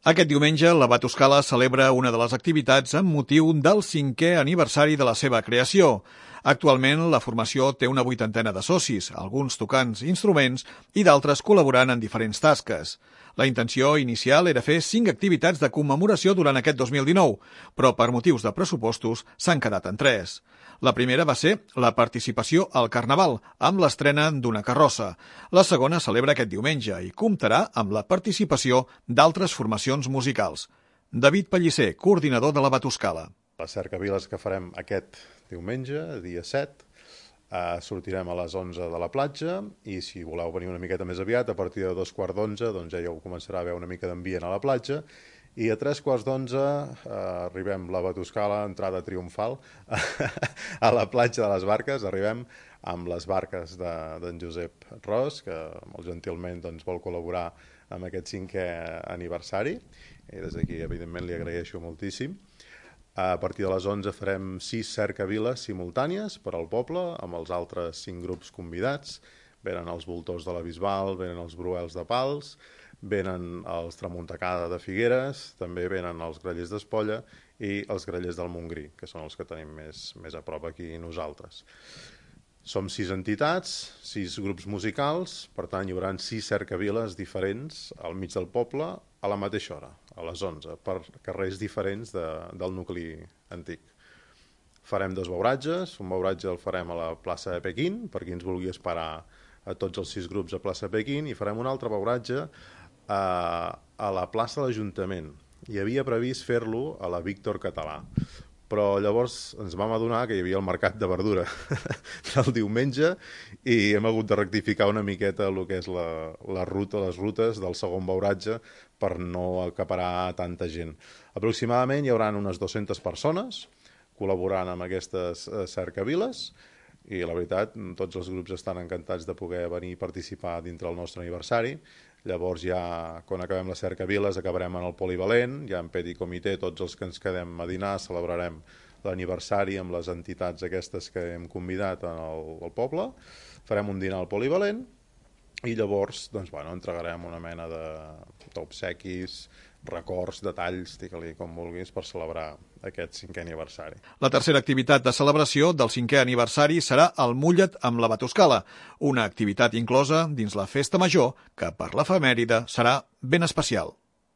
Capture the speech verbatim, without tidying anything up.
Aquest diumenge, la Batuscala celebra una de les activitats amb motiu del cinquè aniversari de la seva creació. Actualment, la formació té una vuitantena de socis, alguns tocant instruments i d'altres col·laborant en diferents tasques. La intenció inicial era fer cinc activitats de commemoració durant aquest dos mil dinou, però per motius de pressupostos s'han quedat en tres. La primera va ser la participació al Carnaval, amb l'estrena d'una carrossa. La segona celebra aquest diumenge i comptarà amb la participació d'altres formacions musicals. David Pellicer, coordinador de la Batuscala. La cercaviles que farem aquest diumenge, dia set, eh, sortirem a les onze de la platja i si voleu venir una miqueta més aviat, a partir de dos quarts d'onze, doncs ja hi començarà a haver una mica d'ambient a la platja. I a tres quarts d'onze eh, arribem la Batuscala, entrada triomfal, a la platja de les Barques. Arribem amb les barques d'en de, Josep Ros, que molt gentilment doncs, vol col·laborar amb aquest cinquè aniversari. I des d'aquí, evidentment, li agraeixo moltíssim. A partir de les onze farem sis cercaviles simultànies per al poble, amb els altres cinc grups convidats. Venen els voltors de la Bisbal, venen els bruels de Pals, venen els Tramuntacada de Figueres, també venen els grallers d'Espolla i els grallers del Montgrí, que són els que tenim més, més a prop aquí nosaltres. Som sis entitats, sis grups musicals, per tant hi haurà sis cercaviles diferents al mig del poble a la mateixa hora, a les onze, per carrers diferents de, del nucli antic. Farem dos beuratges, un beuratge el farem a la plaça de Pequín, per qui ens vulgui esperar a tots els sis grups a plaça Pequín, i farem un altre beuratge a, a la plaça de l'Ajuntament. Hi havia previst fer-lo a la Víctor Català, però llavors ens vam adonar que hi havia el mercat de verdura del diumenge i hem hagut de rectificar una miqueta el que és la, la ruta, les rutes del segon beuratge per no acaparar tanta gent. Aproximadament hi haurà unes dues-centes persones col·laborant amb aquestes cercaviles i la veritat, tots els grups estan encantats de poder venir i participar dintre el nostre aniversari. Llavors ja, quan acabem les cercaviles, acabarem en el polivalent, ja en petit comitè, tots els que ens quedem a dinar, celebrarem l'aniversari amb les entitats aquestes que hem convidat al, al poble, farem un dinar al polivalent i llavors doncs, bueno, entregarem una mena d'obsequis, records, detalls, digue-li com vulguis, per celebrar aquest cinquè aniversari. La tercera activitat de celebració del cinquè aniversari serà el Mulla't amb la Batuscala, una activitat inclosa dins la festa major que per l'efemèride serà ben especial.